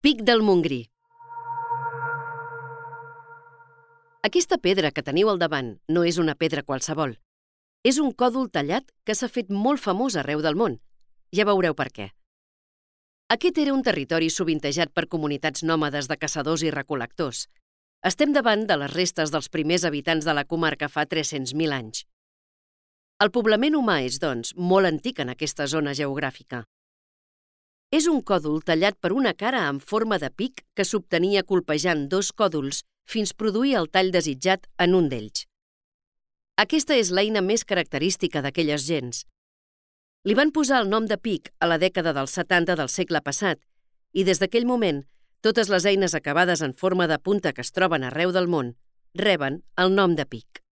Pic del Montgrí. Aquesta pedra que teniu al davant no és una pedra qualsevol. És un còdol tallat que s'ha fet molt famós arreu del món. Ja veureu per què. Aquest era un territori sovintejat per comunitats nòmades de caçadors i recol·lectors. Estem davant de les restes dels primers habitants de la comarca fa 300.000 anys. El poblament humà és, doncs, molt antic en aquesta zona geogràfica. És un còdol tallat per una cara en forma de pic que s'obtenia colpejant dos còdols fins produir el tall desitjat en un d'ells. Aquesta és l'eina més característica d'aquelles gents. Li van posar el nom de pic a la dècada dels 70 del segle passat i des d'aquell moment totes les eines acabades en forma de punta que es troben arreu del món reben el nom de pic.